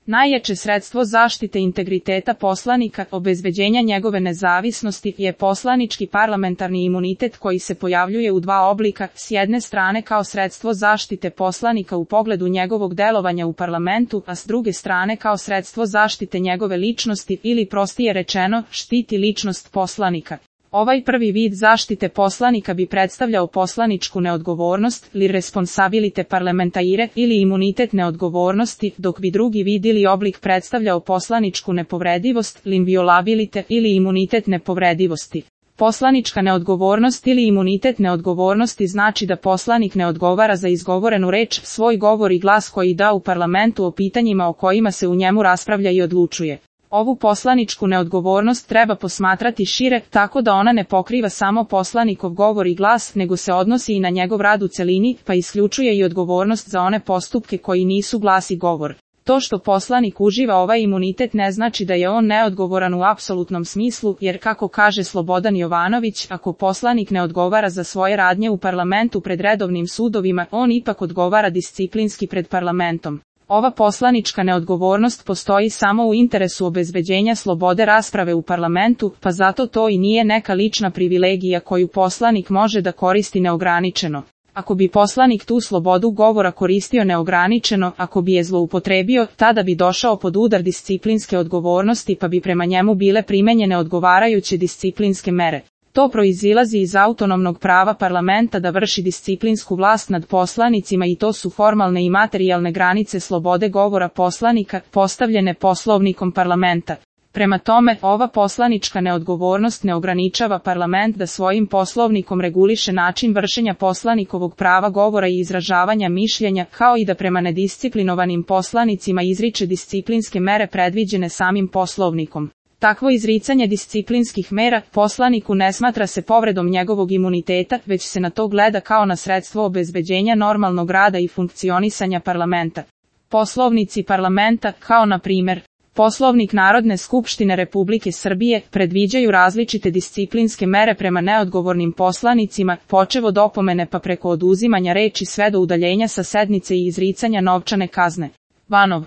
Najjače sredstvo zaštite integriteta poslanika, obezbeđenja njegove nezavisnosti, je poslanički parlamentarni imunitet koji se pojavljuje u dva oblika, s jedne strane kao sredstvo zaštite poslanika u pogledu njegovog delovanja u parlamentu, a s druge strane kao sredstvo zaštite njegove ličnosti ili prostije rečeno, štiti ličnost poslanika. Ovaj prvi vid zaštite poslanika bi predstavljao poslaničku neodgovornost, li responsabilite parlamentaire, ili imunitet neodgovornosti, dok bi drugi vid ili oblik predstavljao poslaničku nepovredivost, l'inviolabilite, ili imunitet nepovredivosti. Poslanička neodgovornost ili imunitet neodgovornosti znači da poslanik ne odgovara za izgovorenu reč, svoj govor i glas koji da u parlamentu o pitanjima o kojima se u njemu raspravlja i odlučuje. Ovu poslaničku neodgovornost treba posmatrati šire, tako da ona ne pokriva samo poslanikov govor i glas, nego se odnosi i na njegov rad u celini, pa isključuje i odgovornost za one postupke koji nisu glas i govor. To što poslanik uživa ovaj imunitet ne znači da je on neodgovoran u apsolutnom smislu, jer kako kaže Slobodan Jovanović, ako poslanik ne odgovara za svoje radnje u parlamentu pred redovnim sudovima, on ipak odgovara disciplinski pred parlamentom. Ova poslanička neodgovornost postoji samo u interesu obezbeđenja slobode rasprave u parlamentu, pa zato to i nije neka lična privilegija koju poslanik može da koristi neograničeno. Ako bi poslanik tu slobodu govora koristio neograničeno, ako bi je zloupotrebio, tada bi došao pod udar disciplinske odgovornosti pa bi prema njemu bile primenjene odgovarajuće disciplinske mere. To proizilazi iz autonomnog prava parlamenta da vrši disciplinsku vlast nad poslanicima i to su formalne i materijalne granice slobode govora poslanika, postavljene Poslovnikom parlamenta. Prema tome, ova poslanička neodgovornost ne ograničava parlament da svojim poslovnikom reguliše način vršenja poslanikovog prava govora i izražavanja mišljenja, kao i da prema nedisciplinovanim poslanicima izriče disciplinske mere predviđene samim poslovnikom. Takvo izricanje disciplinskih mera poslaniku ne smatra se povredom njegovog imuniteta, već se na to gleda kao na sredstvo obezbeđenja normalnog rada i funkcionisanja parlamenta. Poslovnici parlamenta, kao na primjer Poslovnik Narodne skupštine Republike Srbije, predviđaju različite disciplinske mere prema neodgovornim poslanicima, počev od opomene pa preko oduzimanja reči sve do udaljenja sa sednice i izricanja novčane kazne. Vanov.